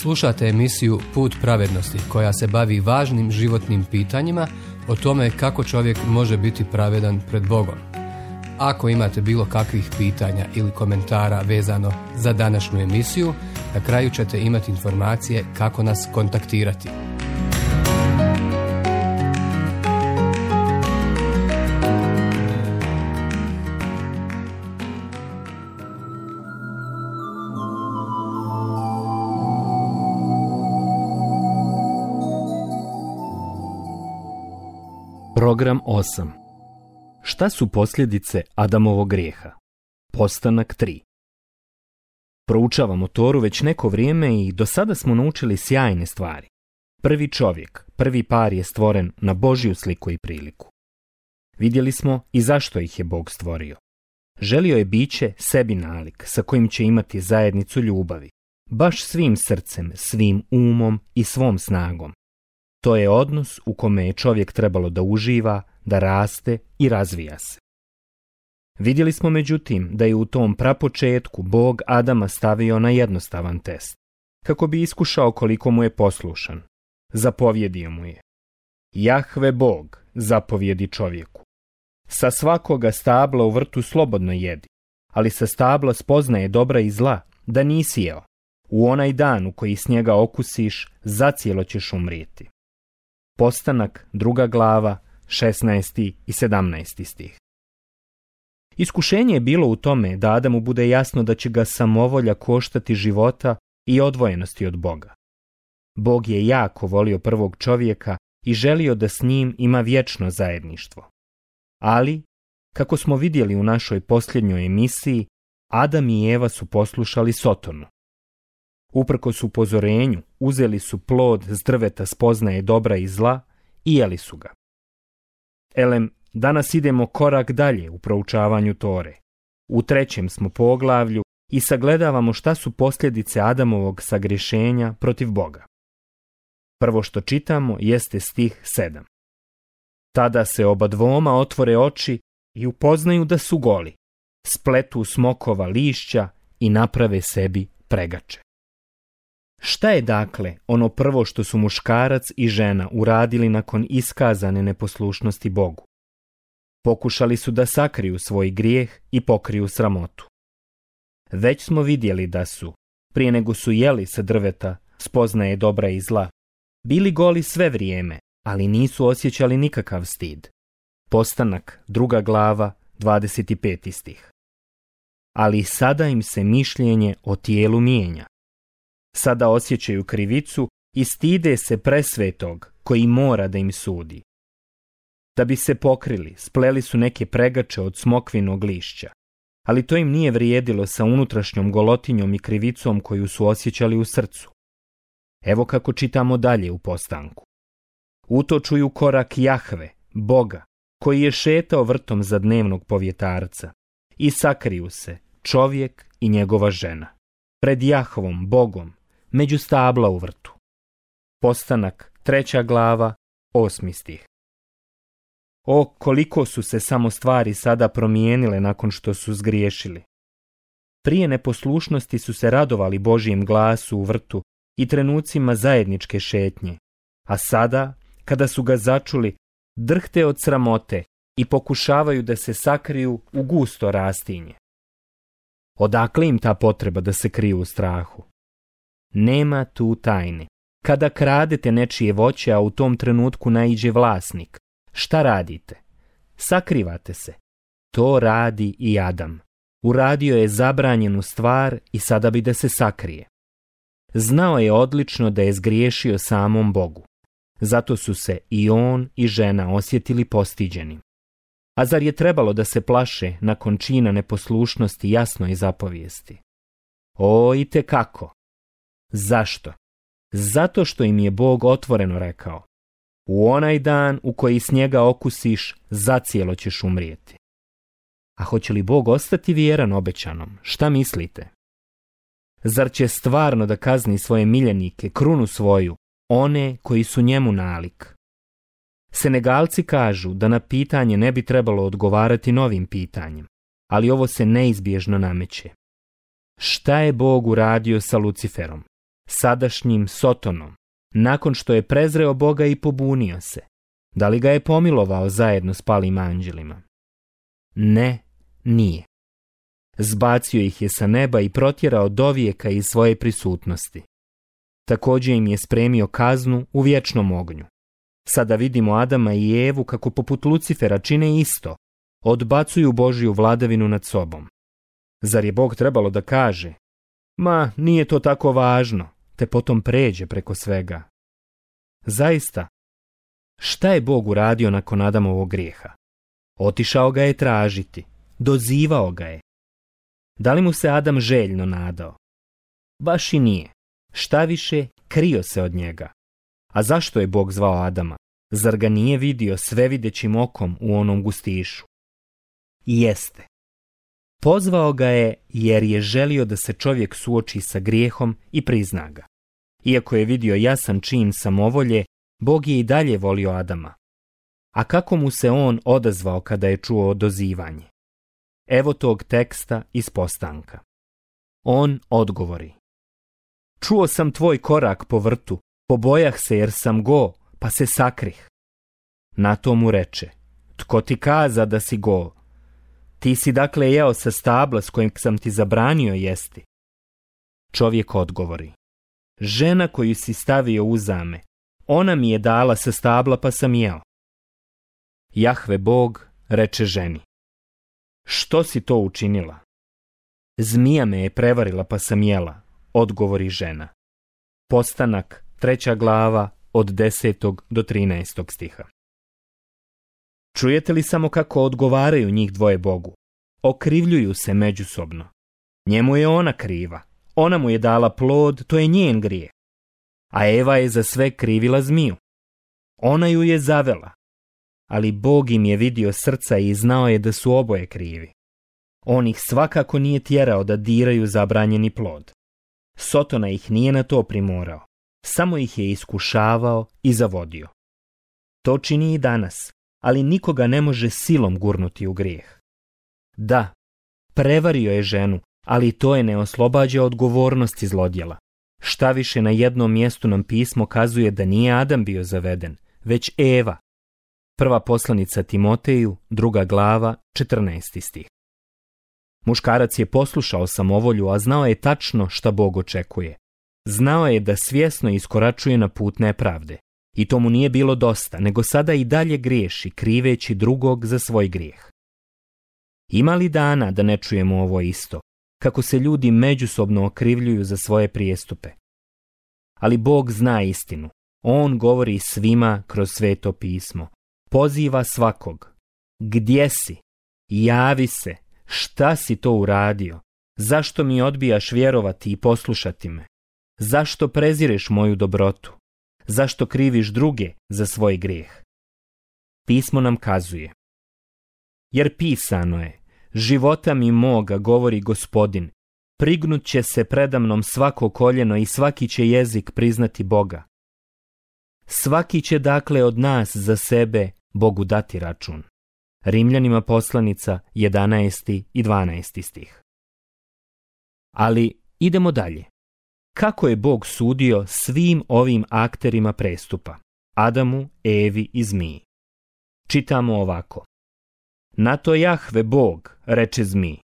Slušate emisiju Put pravednosti koja se bavi važnim životnim pitanjima o tome kako čovjek može biti pravedan pred Bogom. Ako imate bilo kakvih pitanja ili komentara vezano za današnju emisiju, na kraju ćete imati informacije kako nas kontaktirati. Program 8. Šta su posljedice Adamovog grijeha? Postanak 3. Proučavamo Toru već neko vrijeme i do sada smo naučili sjajne stvari. Prvi čovjek, prvi par je stvoren na Božju sliku i priliku. Vidjeli smo i zašto ih je Bog stvorio. Želio je biće sebi nalik sa kojim će imati zajednicu ljubavi, baš svim srcem, svim umom i svom snagom. To je odnos u kome je čovjek trebalo da uživa, da raste i razvija se. Vidjeli smo međutim da je u tom prapočetku Bog Adama stavio na jednostavan test, kako bi iskušao koliko mu je poslušan. Zapovjedio mu je: Jahve Bog zapovjedi čovjeku: sa svakoga stabla u vrtu slobodno jedi, ali sa stabla spoznaje dobra i zla da nisi jeo. U onaj dan u koji s njega okusiš, zacijelo ćeš umrijeti. Postanak, 2. glava, 16. i 17. stih. Iskušenje je bilo u tome da Adamu bude jasno da će ga samovolja koštati života i odvojenosti od Boga. Bog je jako volio prvog čovjeka i želio da s njim ima vječno zajedništvo. Ali, kako smo vidjeli u našoj posljednjoj emisiji, Adam i Eva su poslušali Sotonu. Uprkos upozorenju, uzeli su plod s drveta spoznaje dobra i zla i jeli su ga. Danas idemo korak dalje u proučavanju Tore. U 3. smo poglavlju i sagledavamo šta su posljedice Adamovog sagrešenja protiv Boga. Prvo što čitamo jeste stih 7. Tada se obadvoma otvore oči i upoznaju da su goli, spletu smokova lišća i naprave sebi pregače. Šta je dakle ono prvo što su muškarac i žena uradili nakon iskazane neposlušnosti Bogu? Pokušali su da sakriju svoj grijeh i pokriju sramotu. Već smo vidjeli da su, prije nego su jeli sa drveta spoznaje dobra i zla, bili goli sve vrijeme, ali nisu osjećali nikakav stid. Postanak, 2. glava, 25. stih. Ali sada im se mišljenje o tijelu mijenja. Sada osjećaju krivicu i stide se presvetog koji mora da im sudi. Da bi se pokrili, spleli su neke pregače od smokvinog lišća, ali to im nije vrijedilo sa unutrašnjom golotinjom i krivicom koju su osjećali u srcu. Evo kako čitamo dalje u postanku. Utočuju korak Jahve, Boga, koji je šetao vrtom za dnevnog povjetarca, i sakriju se čovjek i njegova žena pred Jahvom, Bogom, među stabla u vrtu. Postanak, 3. glava, 8. stih. O, koliko su se samo stvari sada promijenile nakon što su zgriješili. Prije neposlušnosti su se radovali Božjem glasu u vrtu i trenucima zajedničke šetnje, a sada, kada su ga začuli, drhte od sramote i pokušavaju da se sakriju u gusto rastinje. Odakle im ta potreba da se kriju u strahu? Nema tu tajne. Kada kradete nečije voće, a u tom trenutku naiđe vlasnik, šta radite? Sakrivate se. To radi i Adam. Uradio je zabranjenu stvar i sada bi da se sakrije. Znao je odlično da je zgriješio samom Bogu. Zato su se i on i žena osjetili postiđenim. A zar je trebalo da se plaše nakon čina neposlušnosti jasnoj zapovijesti? O, itekako. Zašto? Zato što im je Bog otvoreno rekao: u onaj dan u koji s njega okusiš, zacijelo ćeš umrijeti. A hoće li Bog ostati vjeran obećanom? Šta mislite? Zar će stvarno da kazni svoje miljenike, krunu svoju, one koji su njemu nalik? Senegalci kažu da na pitanje ne bi trebalo odgovarati novim pitanjem, ali ovo se neizbježno nameće. Šta je Bog uradio sa Luciferom? sadašnjim Sotonom, nakon što je prezreo Boga i pobunio se? Da li ga je pomilovao zajedno s palim anđelima? Ne, nije. Zbacio ih je sa neba i protjerao dovijeka iz svoje prisutnosti. Također im je spremio kaznu u vječnom ognju. Sada vidimo Adama i Evu kako poput Lucifera čine isto, odbacuju Božju vladavinu nad sobom. Zar je Bog trebalo da kaže: ma, nije to tako važno, te potom pređe preko svega? Zaista, šta je Bog uradio nakon Adamovog grijeha? Otišao ga je tražiti, dozivao ga je. Da li mu se Adam željno nadao? Baš i nije. Šta više, krio se od njega. A zašto je Bog zvao Adama? Zar ga nije vidio svevidećim okom u onom gustišu? Jeste. Pozvao ga je jer je želio da se čovjek suoči sa grijehom i prizna ga. Iako je vidio jasan čin samovolje, Bog je i dalje volio Adama. A kako mu se on odazvao kada je čuo dozivanje? Evo tog teksta iz Postanka. On odgovori: čuo sam tvoj korak po vrtu, pobojah se jer sam go, pa se sakrih. Na to mu reče: tko ti kaza da si go? Ti si dakle jeo sa stabla s kojim sam ti zabranio jesti. Čovjek odgovori: žena koju si stavio uzame, ona mi je dala sa stabla pa sam jeo. Jahve Bog reče ženi: što si to učinila? Zmija me je prevarila pa sam jela, odgovori žena. Postanak, 3. glava, od 10. do 13. stiha. Čujete li samo kako odgovaraju njih dvoje Bogu? Okrivljuju se međusobno. Njemu je ona kriva, ona mu je dala plod, to je njen grijeh. A Eva je za sve krivila zmiju. Ona ju je zavela. Ali Bog im je vidio srca i znao je da su oboje krivi. On ih svakako nije tjerao da diraju zabranjeni plod. Sotona ih nije na to primorao, samo ih je iskušavao i zavodio. To čini i danas, ali nikoga ne može silom gurnuti u grijeh. Da, prevario je ženu, ali to je ne oslobađa odgovornosti zlodjela. Štaviše, na jednom mjestu nam pismo kazuje da nije Adam bio zaveden, već Eva. Prva poslanica Timoteju, 2. glava, 14. stih. Muškarac je poslušao samovolju, a znao je tačno šta Bog očekuje. Znao je da svjesno iskoračuje na put nepravde. I to mu nije bilo dosta, nego sada i dalje griješi, kriveći drugog za svoj grijeh. Ima li dana da ne čujemo ovo isto, kako se ljudi međusobno okrivljuju za svoje prijestupe? Ali Bog zna istinu. On govori svima kroz Sveto pismo. Poziva svakog. Gdje si? Javi se. Šta si to uradio? Zašto mi odbijaš vjerovati i poslušati me? Zašto prezireš moju dobrotu? Zašto kriviš druge za svoj grijeh? Pismo nam kazuje: jer pisano je: života mi moga, govori Gospodin, prignut će se predamnom svako koljeno i svaki će jezik priznati Boga. Svaki će dakle od nas za sebe Bogu dati račun. Rimljanima poslanica, 11. i 12. stih. Ali idemo dalje. Kako je Bog sudio svim ovim akterima prestupa? Adamu, Evi i zmiji. Čitamo ovako: na to Jahve Bog, reče zmiji,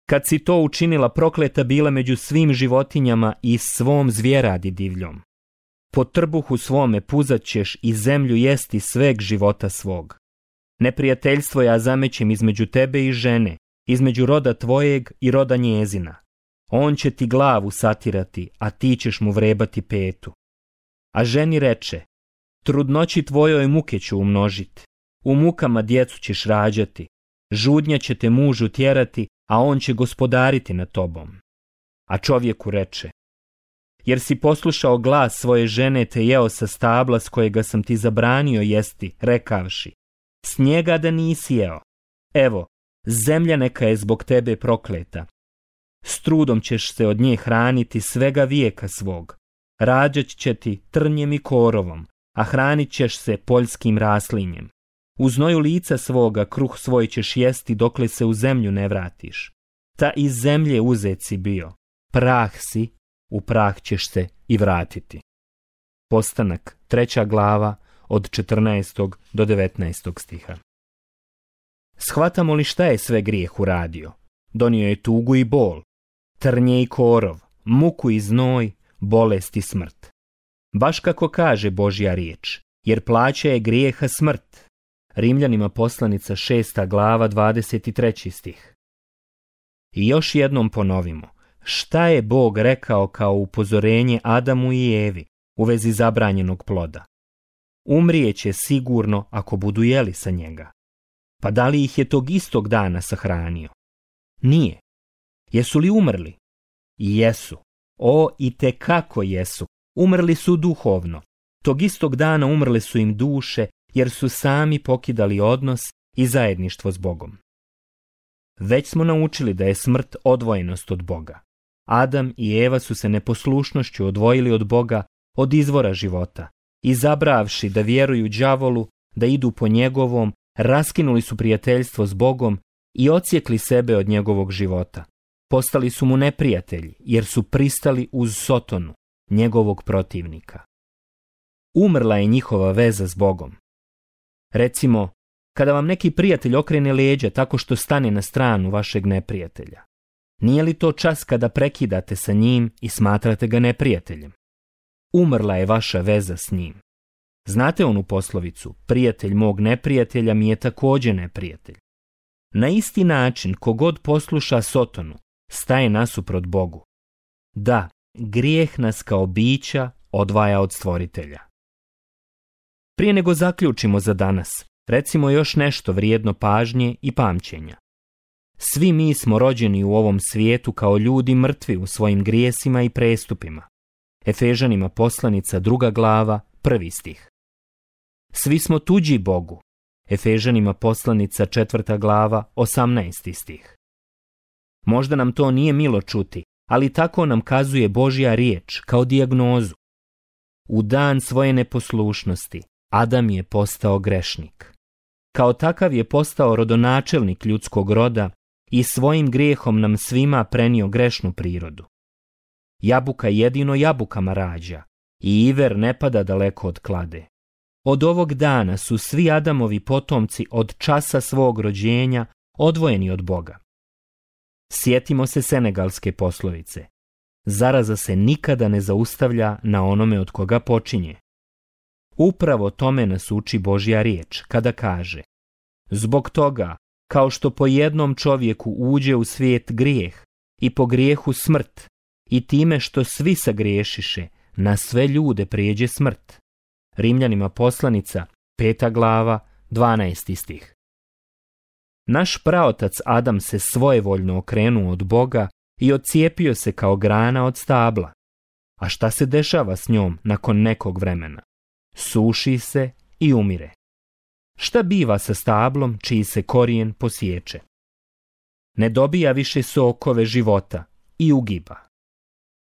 kad si to učinila, prokleta bila među svim životinjama i svom zvjeradi divljom. Po trbuhu svome puzat ćeš i zemlju jesti sveg života svog. Neprijateljstvo ja zamećem između tebe i žene, između roda tvojeg i roda njezina. On će ti glavu satirati, a ti ćeš mu vrebati petu. A ženi reče: trudnoći tvojoj muke ću umnožiti, u mukama djecu ćeš rađati, žudnja će te mužu tjerati, a on će gospodariti nad tobom. A čovjeku reče: jer si poslušao glas svoje žene te jeo sa stabla s kojega sam ti zabranio jesti, rekavši: s njega da nisi jeo. Evo, zemlja neka je zbog tebe prokleta. S trudom ćeš se od nje hraniti svega vijeka svog. Rađat će ti trnjem i korovom, a hranit ćeš se poljskim raslinjem. U znoju lica svoga kruh svoj ćeš jesti dokle se u zemlju ne vratiš. Ta iz zemlje uzet si bio, prah si u prah ćeš se i vratiti. Postanak, 3. glava, od 14. do 19. stiha. Shvatamo li šta je sve grijeh uradio? Donio je tugu i bol, trnje i korov, muku i znoj, bolest i smrt. Baš kako kaže Božja riječ, jer plaća je grijeha smrt. Rimljanima poslanica 6. glava 23. stih. I još jednom ponovimo, šta je Bog rekao kao upozorenje Adamu i Evi u vezi zabranjenog ploda? Umrijeće sigurno ako budu jeli sa njega. Pa da li ih je tog istog dana sahranio? Nije. Jesu li umrli? Jesu. O, itekako jesu. Umrli su duhovno. Tog istog dana umrle su im duše, jer su sami pokidali odnos i zajedništvo s Bogom. Već smo naučili da je smrt odvojenost od Boga. Adam i Eva su se neposlušnošću odvojili od Boga, od izvora života, i zabravši da vjeruju đavolu, da idu po njegovom, raskinuli su prijateljstvo s Bogom i odsjekli sebe od njegovog života. Postali su mu neprijatelji, jer su pristali uz Sotonu, njegovog protivnika. Umrla je njihova veza s Bogom. Recimo, kada vam neki prijatelj okrene leđa tako što stane na stranu vašeg neprijatelja, nije li to čas kada prekidate sa njim i smatrate ga neprijateljem? Umrla je vaša veza s njim. Znate onu poslovicu, prijatelj mog neprijatelja mi je također neprijatelj. Na isti način, kogod posluša Sotonu, staje nasuprot Bogu. Da, grijeh nas kao bića odvaja od Stvoritelja. Prije nego zaključimo za danas, recimo još nešto vrijedno pažnje i pamćenja. Svi mi smo rođeni u ovom svijetu kao ljudi mrtvi u svojim grijesima i prestupima. Efežanima poslanica 2. glava, 1. stih. Svi smo tuđi Bogu. Efežanima poslanica 4. glava, 18. stih. Možda nam to nije milo čuti, ali tako nam kazuje Božja riječ kao dijagnozu. U dan svoje neposlušnosti Adam je postao grešnik. Kao takav je postao rodonačelnik ljudskog roda i svojim grijehom nam svima prenio grešnu prirodu. Jabuka jedino jabukama rađa i iver ne pada daleko od klade. Od ovog dana su svi Adamovi potomci od časa svog rođenja odvojeni od Boga. Sjetimo se senegalske poslovice. Zaraza se nikada ne zaustavlja na onome od koga počinje. Upravo tome nas uči Božja riječ kada kaže: zbog toga, kao što po jednom čovjeku uđe u svijet grijeh i po grijehu smrt, i time što svi sagriješiše, na sve ljude prijeđe smrt. Rimljanima poslanica 5. glava 12. stih. Naš praotac Adam se svojevoljno okrenuo od Boga i odcijepio se kao grana od stabla. A šta se dešava s njom nakon nekog vremena? Suši se i umire. Šta biva sa stablom čiji se korijen posječe? Ne dobija više sokove života i ugiba.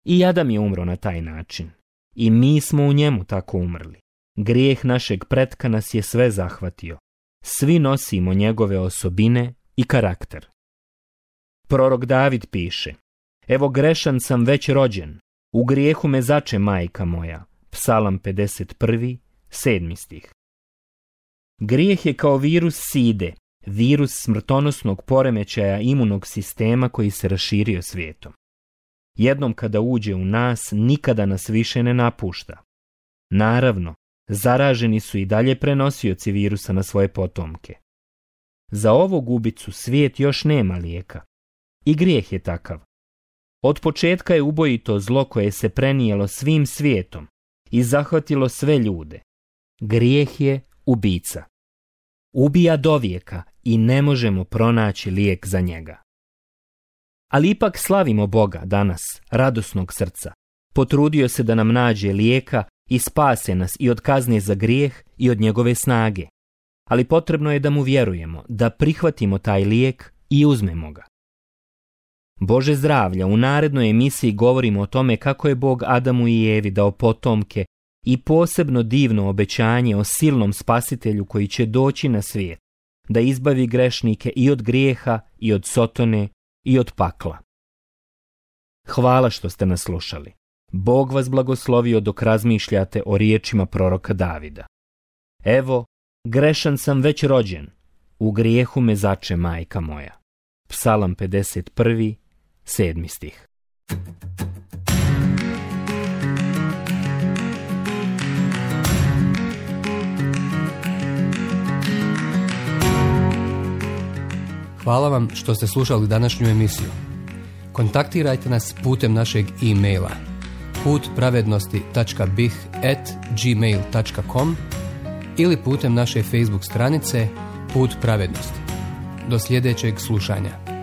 I Adam je umro na taj način. I mi smo u njemu tako umrli. Grijeh našeg pretka nas je sve zahvatio. Svi nosimo njegove osobine i karakter. Prorok David piše: evo grešan sam već rođen, u grijehu me zače majka moja. Psalam 51. 7. stih. Grijeh je kao virus side, virus smrtonosnog poremećaja imunog sistema koji se raširio svijetom. Jednom kada uđe u nas, nikada nas više ne napušta. Naravno, zaraženi su i dalje prenosioci virusa na svoje potomke. Za ovu gubicu svijet još nema lijeka. I grijeh je takav. Od početka je ubojito zlo koje se prenijelo svim svijetom i zahvatilo sve ljude. Grijeh je ubica. Ubija dovijeka i ne možemo pronaći lijek za njega. Ali ipak slavimo Boga danas, radosnog srca. Potrudio se da nam nađe lijeka i spase nas i od kazne za grijeh i od njegove snage. Ali potrebno je da mu vjerujemo, da prihvatimo taj lijek i uzmemo ga. Bože zdravlja, u narednoj emisiji govorimo o tome kako je Bog Adamu i Evi dao potomke i posebno divno obećanje o silnom spasitelju koji će doći na svijet, da izbavi grešnike i od grijeha i od Sotone i od pakla. Hvala što ste nas slušali. Bog vas blagoslovio dok razmišljate o riječima proroka Davida. Evo, grešan sam već rođen, u grijehu me zače majka moja. Psalam 51, 7. stih. Hvala vam što ste slušali današnju emisiju. Kontaktirajte nas putem našeg e-maila putpravednosti.bih@gmail.com ili putem naše Facebook stranice Put pravednosti. Do sljedećeg slušanja.